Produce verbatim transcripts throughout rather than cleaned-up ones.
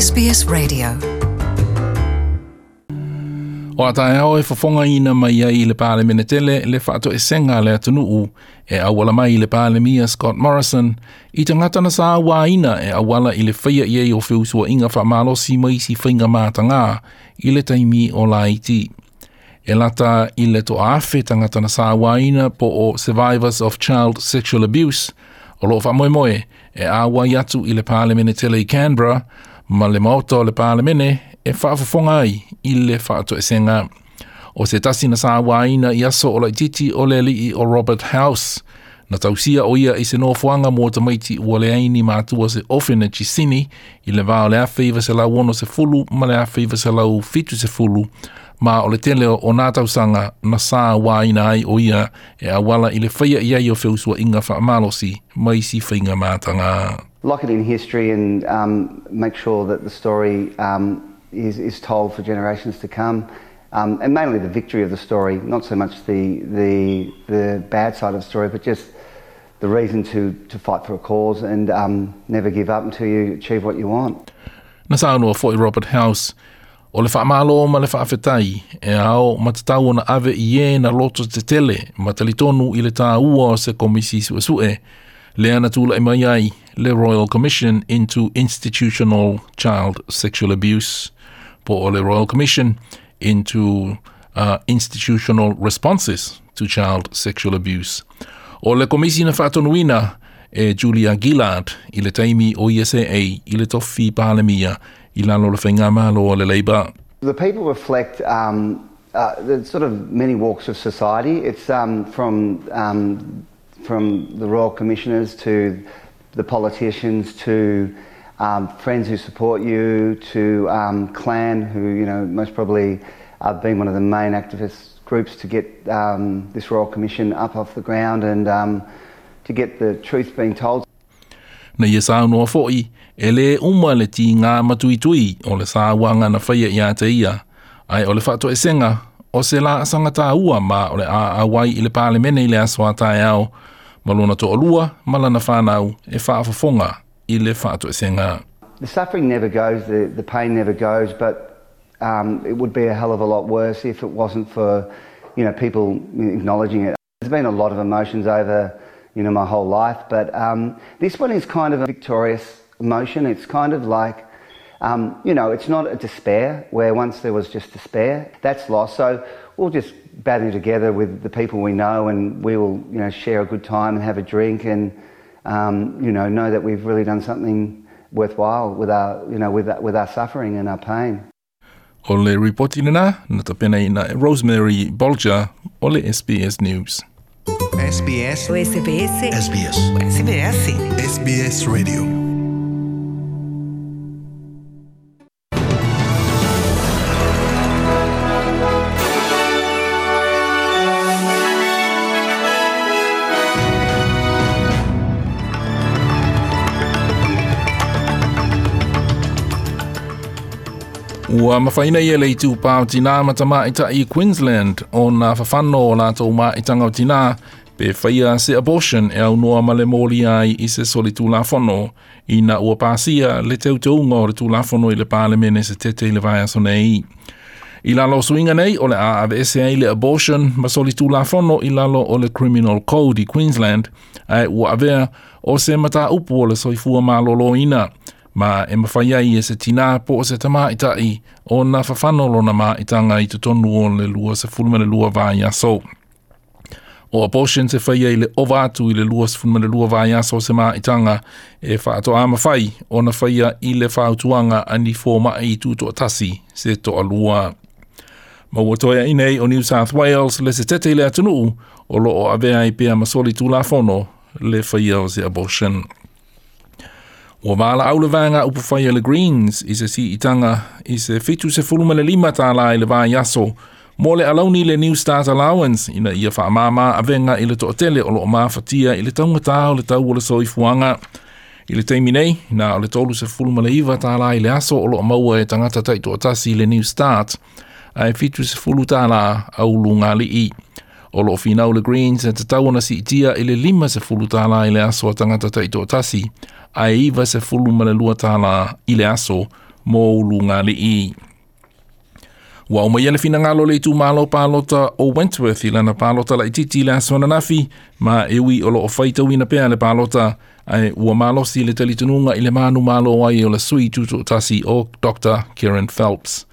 S B S Radio. O ataeao e fofonga ina mai ai le Palemene tele le whaatoesenga le atunuu e awala mai le Palemia Scott Morrison i tangata na sa waina e awala i le whaia i o whiusua inga whaamalosi mai si whainga mātanga i le taimi o laiti. E lata i le to afe tangata na sa waina po o Survivors of Child Sexual Abuse o loo whaamoemoe e awa i atu i le Palemene tele i Canberra ma le maota o le Palemene e whaafofonga ai i le whaatoesenga. O se tasi na sa waina i aso o laititi o le alii o Robert House. Na tausia o ia i se nofoanga mō tamaiti ua le aini mātua se orphanage i Sini i le vā o le awhiwa se lau ono se fulu ma le awhiwa se lau fitu se fulu ma o le tele o nā tausanga na sa waina ai o ia e awala i le whaia i ai o whiusua inga whaamalosi mai si whainga mātanga. Lock it in history and um, make sure that the story um, is, is told for generations to come. Um, and mainly the victory of the story, not so much the, the, the bad side of the story, but just the reason to, to fight for a cause and um, never give up until you achieve what you want. Na saunua foi Robert House, o le whaamalo ma le whaafetai, e ao matatau ona ave i e na loto te tele, matalitonu i le tāua o se komisi suesue, le ana tūla i mai ai le Royal Commission into Institutional Child Sexual Abuse, po o le Royal Commission into uh, Institutional Responses to Child Sexual Abuse. O le komisi na whaatonuina e Julia Gillard i le taimi o I S A i le tofi Palemia i lalo le whainga malo o le Labour. The people reflect um, uh, the sort of many walks of society. It's um, from, um, from the Royal Commissioners to the politicians to um, friends who support you to um, clan who, you know, most probably have been one of the main activist groups to get um, this Royal Commission up off the ground and um, to get the truth being told. Na ia saunoa foi, e le uma le ti ngā matuitui o le sāwanga na whaia i a te ia, ai o le whaatoesenga o se la asanga ua ma o le a awai i le Palemene i le aso a taeao, ma lona to'olua ma lana whanau e whaafofonga i le whaatoesenga. The suffering never goes, the, the pain never goes, but um, it would be a hell of a lot worse if it wasn't for, you know, people acknowledging it. There's been a lot of emotions over, you know, my whole life, but um, this one is kind of a victorious emotion. It's kind of like, um, you know, it's not a despair, where once there was just despair. That's lost. So we'll just battle together with the people we know and we will, you know, share a good time and have a drink and, um, you know, know that we've really done something worthwhile with our, you know, with, with our suffering and our pain. O le ripoti lena, na tapena ina Rosemary Bolger o le S B S News. S B S S B S S B S S B S S B S Radio. Ua mawhaina ia le itu pāo tina matama i tai Queensland o nā whawhano o lātou maitanga o tina pe whaia se abortion e au noa ma le mōli ai i se soli tūlafono i nā ua pāsia le teuteunga o le tūlafono i le Palemene se tete i le vaiaso nei. I lalo suinga nei o le a ave ese ai le abortion ma soli tūlafono i lalo o le Criminal Code i Queensland ai ua avea o se mata upu o le soifua maloloina. Ma e mawhai ai e se tina po o se tamaita'i o nā whawhano lona maitanga i totonu o le lua se fulu le lua vai aso. O abortion se whai ai le ova atu i le lua se fulu le lua vai aso se maitanga e whaatoa mawhai o na whaia i le whautuanga ani fō mai i tūtoa tasi se toa lua. Ma ua toea inei o New South Wales le se tete i le atunuu o lo o avea i pea masoli tūlafono le whaia o se abortion. Ua wāla au le vānga upu whaia le Greens i se si itanga i se fitu se fulu ma le lima tāla i le vā aso mō le alauni le New Start Allowance ina ia whaamāmā avenga i le to'atele o loo māwhatia i le taungatā o le tau o le soifuanga. I le taimi nei, nā o le tolu se fulu ma le iwa tāla i le aso o loo maua e tangata taitoatasi i le New Start ai fitu se fulu tāla au lunga li'i. O loo whinau le Greens e te tau ona si itia i le lima se fulu tāla i le aso a tangata taitoatasi ai iwa se fulu ma le lua tāla i le aso mo ulugalii. Ua aumaia le finagalo o le itumalo palota o Wentworth i lana palota laitiiti i le aso ananafi, ma e ui o loo faitauina pea le palota, ae ua malosi le talitonuga i le manumalo ai o le sui tutoatasi o Doctor Kerryn Phelps.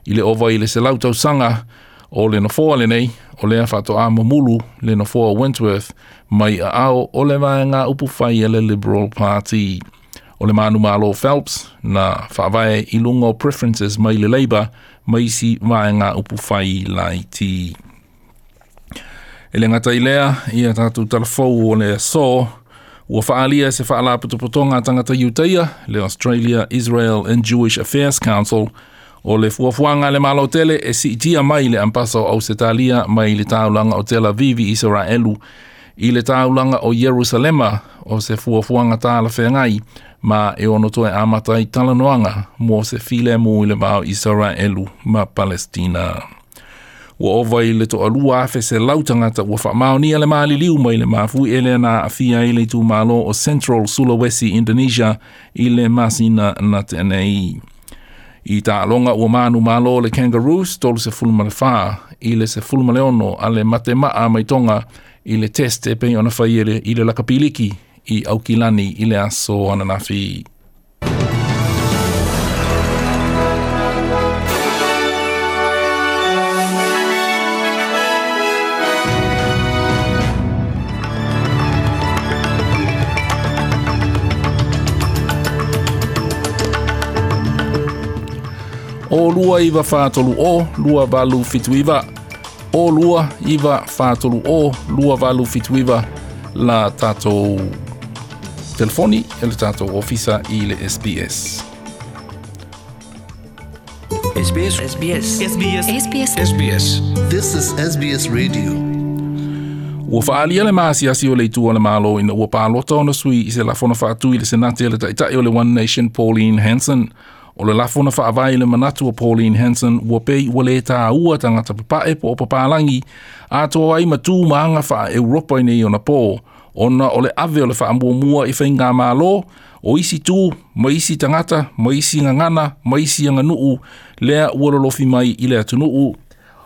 I le ova i le selau tausaga o le nofoa lenei, o lea faatoa mamulu le nofoa o Wentworth mai aao o le vaega upufai a le Liberal Party. O le manumalo Phelps na faavae i luga o preferences mai le Labour ma isi vaega upufai laiti. E le gata i lea, ia tatou talafou o le aso, ua faalia se faalapotopotoga a tagata Iutaia, le Australia, Israel and Jewish Affairs Council, o le fuafuaga a le Malo tele e siitia mai le ampasa o Ausetalia mai le taulaga o Tel Aviv i Isaraelu i le taulaga o Ierusalema o se fuafuaga talafeagai ma e ono toe amata ai talanoaga mo se filemu i le va o Isaraelu ma Palestina. Ua ova i le toalua afe selau tagata ua faamaonia le maliliu mai le mafui ele na aafia ai le itumalo o Central Sulawesi, Indonesia i le masina na tea nei. I taaloga ua manumalo le Kangaroos tolu sefulu ma le fa i le sefulu ma le ono a le matemaa mai Tonga i le test e pei ona fai e le, i le lakapiliki i Aukilani i le aso ananafi. O lua iwa whātolu o, lua valu fitu iwa. O lua iwa whātolu o, lua valu fitu iwa la tātou telefoni e le tātou ofisa i le S B S. S B S S B S S B S S B S S B S. This is S B S Radio. Ua faalia le maasiasi o le itu o le malo ina ua palota ona sui i se lafona faatu i le senate le taitai o le One Nation Pauline Hanson. O le lafona faavae i le manatu o Pauline Hanson ua pei ua le tāua tagata papae po o papalangi atoa ai ma tu ma aga faa-Europa i nei ona pō, ona o le ave o le faamuamua i faigamalo o isi tu ma isi tagata ma isi gagana ma isi aganuu lea ua lolofi mai i le atunuu.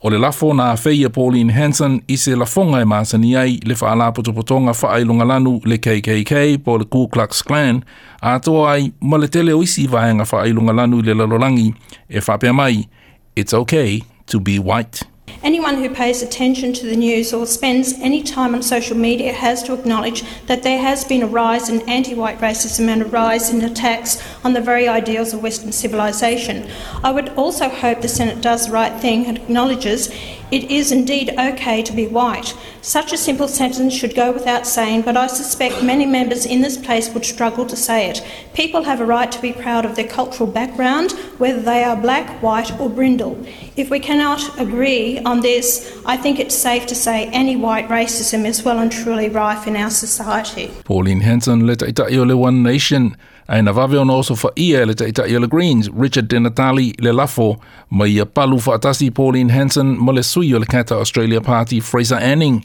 O le lafo na afei e Pauline Hanson i se lafoga e masani ai le faalapotopotoga faailogalanu le K K K po le Ku Klux Klan atoa ai ma le tele o isi vaega faailogalanu i le lalolagi e faapea mai, It's okay to be white. Anyone who pays attention to the news or spends any time on social media has to acknowledge that there has been a rise in anti-white racism and a rise in attacks on the very ideals of Western civilization. I would also hope the Senate does the right thing and acknowledges it is indeed okay to be white. Such a simple sentence should go without saying, but I suspect many members in this place would struggle to say it. People have a right to be proud of their cultural background, whether they are black, white or brindle. If we cannot agree on this, I think it's safe to say any white racism is well and truly rife in our society. Pauline Hanson le taitai o le One Nation, ae na vave ona oso faia e le taitai o le Greens, Richard Di Natale le lafo, ma ia palu faatasi Pauline Hanson ma le sui o le Kata Australia Party Fraser Anning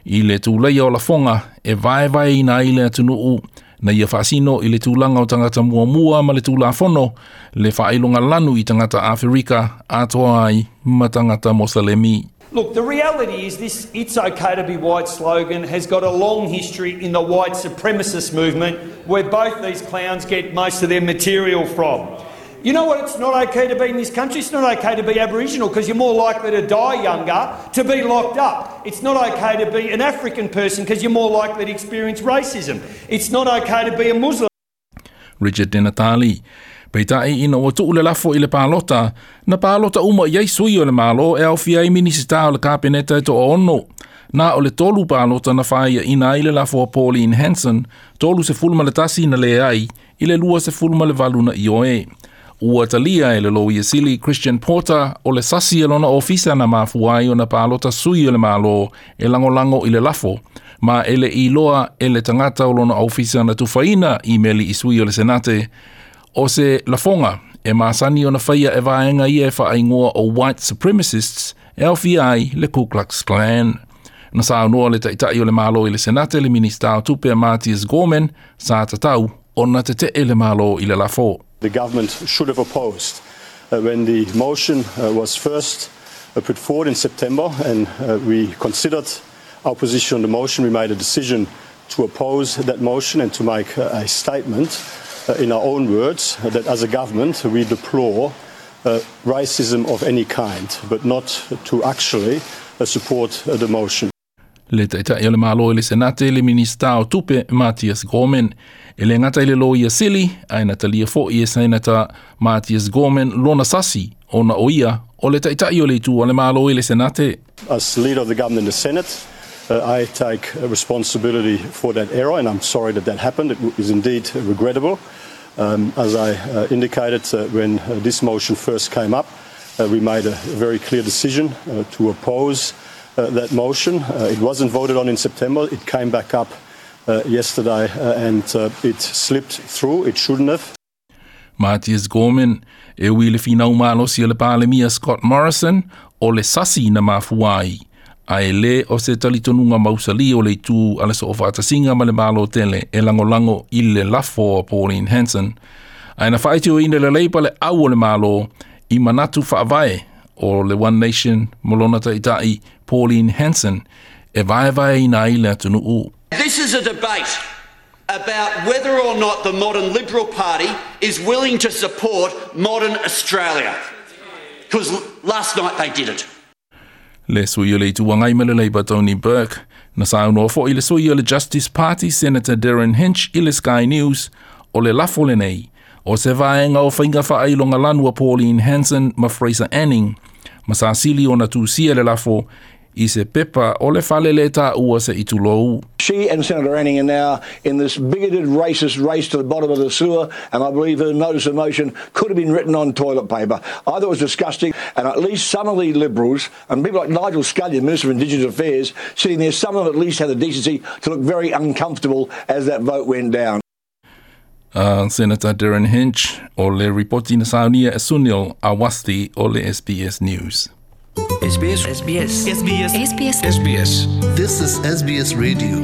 i le tulaia o lafoga e vaevaeina ai le atunuu na ia faasino i le tulaga o tagata muamua ma le tulafono le faailogalanu i tagata Aferika atoa ai ma tagata Mosalemi. Look, the reality is this "it's okay to be white" slogan has got a long history in the white supremacist movement where both these clowns get most of their material from. You know what it's not okay to be in this country? It's not okay to be Aboriginal because you're more likely to die younger, to be locked up. It's not okay to be an African person because you're more likely to experience racism. It's not okay to be a Muslim. Richard Di Natale. Peitai ina ua tuu le lafo i le palota, na palota uma i ai sui o le malo e aofia ai minisita o le kapeneta e toaono. Na o le tolu palota na whaia ina i le lafo a Pauline Hanson, tolu sefulu ma le tasi na le ai, i le lua sefulu ma le valu na ioe. Ua talia e le loia sili Christian Porter o le sasi e lona ofisa na mafua ai ona palota sui o le malo e langolango i le lafo, ma e le iloa e le tangata o lona ofisa na tufaina i meli i sui o le senate, o se lafonga e masani ona whaia e vaenga ia e whaingoa o white supremacists e aofia ai le Ku Klux Klan. Na saunoa le taitai o le malo i le senate le minista o tupe a Mathias Gorman sa tatau ona tetee le malo i le lafo. The government should have opposed uh, when the motion uh, was first uh, put forward in September, and uh, we considered our position on the motion. We made a decision to oppose that motion and to make uh, a statement uh, in our own words uh, that as a government we deplore uh, racism of any kind, but not to actually uh, support uh, the motion. Le taitai o le Malo i le Senate le Minista o Tupe Mathias Gorman. E le gata i le loia sili, ae na talia fo'i e Senata Mathias Gorman lona sasi ona o ia o le taitai o le itu a le Malo i le Senate. As leader of the government in the Senate, uh, I take responsibility for that error, and I'm sorry that that happened. It is indeed regrettable. Um, as I uh, indicated uh, when uh, this motion first came up, uh, we made a very clear decision uh, to oppose uh, that motion. Uh, it wasn't voted on in September. It came back up uh, yesterday uh, and uh, it slipped through. It shouldn't have. Mathias Gorman e ui le finau malosi o le Palemia Scott Morrison o le sasi na mafua ai. Ae le o se talitonuga mausali o le itu a le Soofaatasiga ma le Malo tele e lagolago i le lafo a Pauline Hanson. Ae na faaitioina le Leipa le au o le Malo i manatu faavae o le One Nation ma lona taitai Pauline Hanson e vaevaeina ai le atunuu. This is a debate about whether or not the modern Liberal Party is willing to support modern Australia. Because last night they didn't. Le sui o le Itu Agai ma le Leipa Tony Burke. Na saunoa fo'i le sui o le Justice Party Senator Derryn Hinch i le Sky News o le lafo lenei. O se vaega o faiga faailogalanu a Pauline Hanson ma Fraser Anning. Ma sa sili ona tusia le lafo i se pepa o le fale le taua se'i tulou. She and Senator Anning are now in this bigoted, racist race to the bottom of the sewer, and I believe her notice of motion could have been written on toilet paper. I thought it was disgusting, and at least some of the Liberals, and people like Nigel Scullion, Minister of Indigenous Affairs, sitting there, some of them at least had the decency to look very uncomfortable as that vote went down. Uh, Senator Derryn Hinch o le ripoti na saunia e Sunil Awasthi o le S B S News. S B S S B S S B S S B S S B S. This is S B S Radio.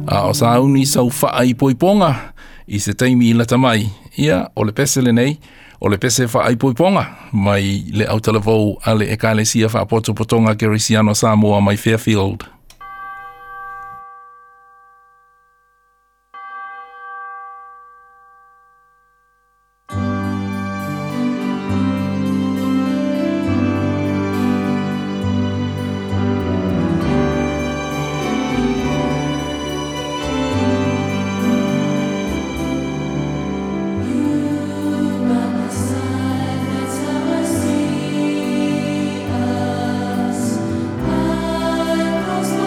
A o sauni sau faaipoipoga i se taimi lata mai. Ia, o le pese lenei, o le pese faaipoipoga mai le autalavou a le Ekalesia Faapotopotoga Kerisiano Samoa mai Fairfield. That's how I see us. I cross the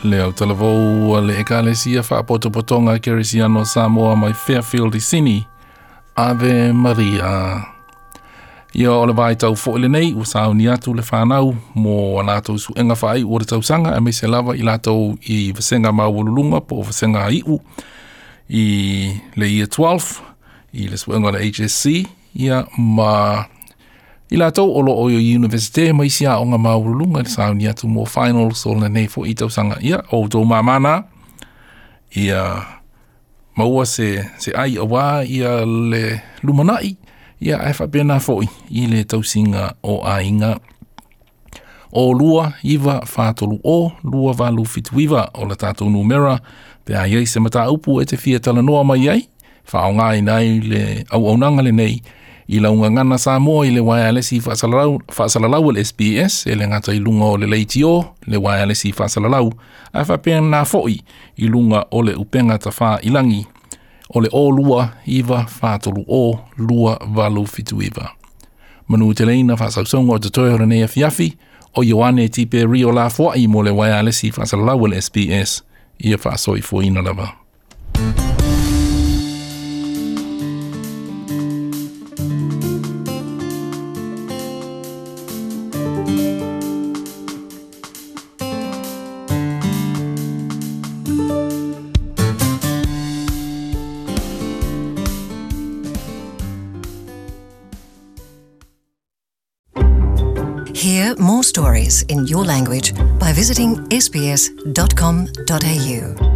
Le au talavou le ekalesia whaapotopotonga Kerisiano Samoa mai Fairfield i Sini. Ave Maria. Ia o le vai tau fo le nei, ua sauni atu le whanau mo a lātou suenga whaai o le tausaga, a meise lava i lātou i vasenga maualulunga po o vasenga iu i le year twelve, i le suenga le H S C, ia ma i lātou o lo o i universite mai si a onga maualulunga le sauni atu mo finals o le nei fo i tausaga. Ia o tō mamana, ia maua se, se ai awa ia le lumanai, ia e whapena foi i le tausinga o ainga. O lua iwa whātolu o, lua valu fituiva o le tātou numera, pe a iei se mata upu e te fia talanoa mai ai, whaonga i nei le au aunanga le nei, i launga ngana Samoa i le wireless i whaasalalau, whaasalalau le S B S, e le ngata i lunga o le leitio, le wireless i whaasalalau, a whapena foi i lunga o le upenga tawha ilangi, o le o lua iwa whātolu o lua valu fituiva. Manu te leina whaasausonga o te toi hora nei afiafi, o Ioane Tipe Rio la fuai mo le wireless i whaasalalau le S B S, ia whaasoi fuaina lava. Hear more stories in your language by visiting S B S dot com dot A U.